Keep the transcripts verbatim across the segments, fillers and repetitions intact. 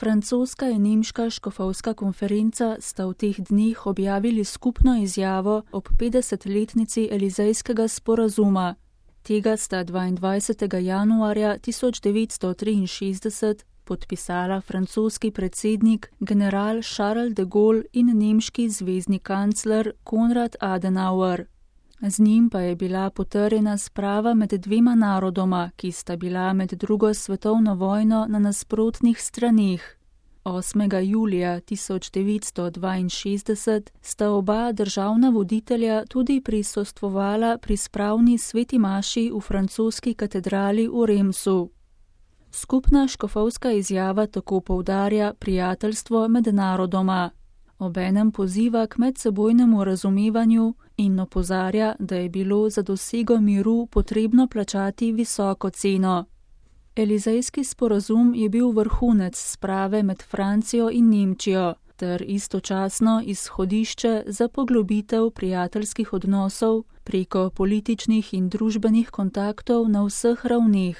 Francoska in nemška škofovska konferenca sta v teh dneh objavili skupno izjavo ob petdesetletnici Elizejskega sporazuma. Tega sta dvaindvajsetega januarja tisoč devetsto triinšestdeset podpisala francoski predsednik general Charles de Gaulle in nemški zvezni kancler Konrad Adenauer. Z njim pa je bila potrjena sprava med dvema narodoma, ki sta bila med drugo svetovno vojno na nasprotnih straneh. osmega julija tisoč devetsto dvainšestdeset sta oba državna voditelja tudi prisostvovala pri spravni sveti maši v francoski katedrali v Remsu. Skupna škofovska izjava tako poudarja prijateljstvo med narodoma. Obenem poziva k medsebojnemu razumevanju in opozarja, da je bilo za dosego miru potrebno plačati visoko ceno. Elizejski sporazum je bil vrhunec sprave med Francijo in Nemčijo ter istočasno izhodišče za poglobitev prijateljskih odnosov preko političnih in družbenih kontaktov na vseh ravneh.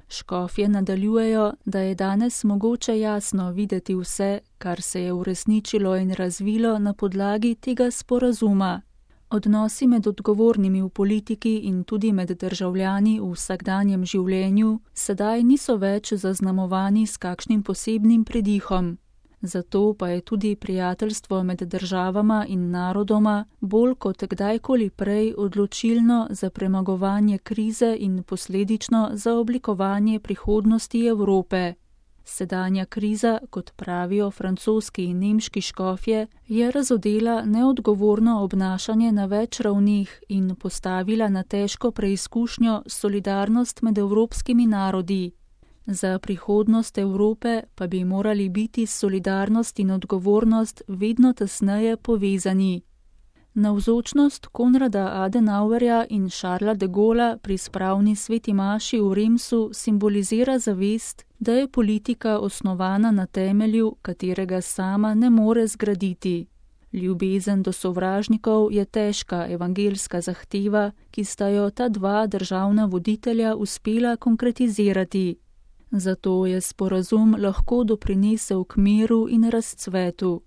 Škofje nadaljujejo, da je danes mogoče jasno videti vse, kar se je uresničilo in razvilo na podlagi tega sporazuma. Odnosi med odgovornimi v politiki in tudi med državljani v vsakdanjem življenju sedaj niso več zaznamovani s kakšnim posebnim pridihom. Zato pa je tudi prijateljstvo med državama in narodoma bolj kot kdajkoli prej odločilno za premagovanje krize in posledično za oblikovanje prihodnosti Evrope. Sedanja kriza, kot pravijo francoski in nemški škofje, je razodela neodgovorno obnašanje na več ravneh in postavila na težko preizkušnjo solidarnost med evropskimi narodi. Za prihodnost Evrope pa bi morali biti solidarnost in odgovornost vedno tesneje povezani. Navzočnost Konrada Adenauerja in Charlesa de Gaulleja pri spravni sveti maši v Remsu simbolizira zavest, da je politika osnovana na temelju, katerega sama ne more zgraditi. Ljubezen do sovražnikov je težka evangeljska zahteva, ki sta jo ta dva državna voditelja uspela konkretizirati. Zato je sporazum lahko doprinesel k miru in razcvetu.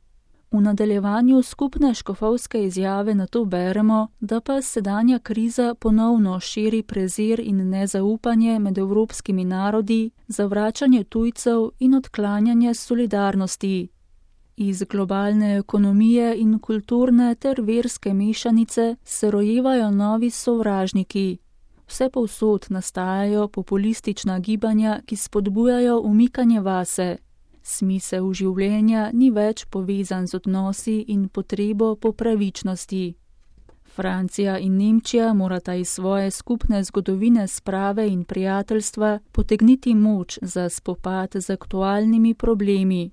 V nadaljevanju skupne škofovske izjave nato beremo, da pa sedanja kriza ponovno širi prezir in nezaupanje med evropskimi narodi, zavračanje tujcev in odklanjanje solidarnosti. Iz globalne ekonomije in kulturne ter verske mešanice se rojevajo novi sovražniki. Vse povsod nastajajo populistična gibanja, ki spodbujajo umikanje vase. Smisel življenja ni več povezan z odnosi in potrebo po pravičnosti. Francija in Nemčija morata iz svoje skupne zgodovine sprave in prijateljstva potegniti moč za spopad z aktualnimi problemi.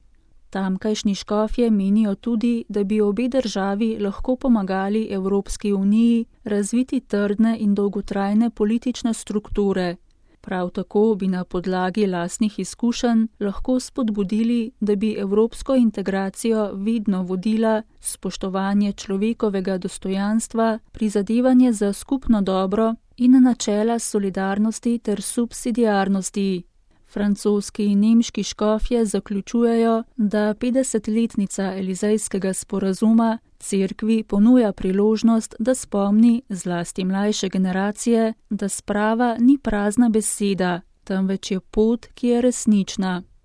Tamkajšnji škofje menijo tudi, da bi obe državi lahko pomagali Evropski uniji razviti trdne in dolgotrajne politične strukture. Prav tako bi na podlagi lastnih izkušenj lahko spodbudili, da bi evropsko integracijo vedno vodila spoštovanje človekovega dostojanstva, prizadevanje za skupno dobro in načela solidarnosti ter subsidiarnosti. Francoski in nemški škofje zaključujejo, da petdesetletnica Elizejskega sporazuma cerkvi ponuja priložnost, da spomni zlasti mlajše generacije, da sprava ni prazna beseda, temveč je pot, ki je resnična.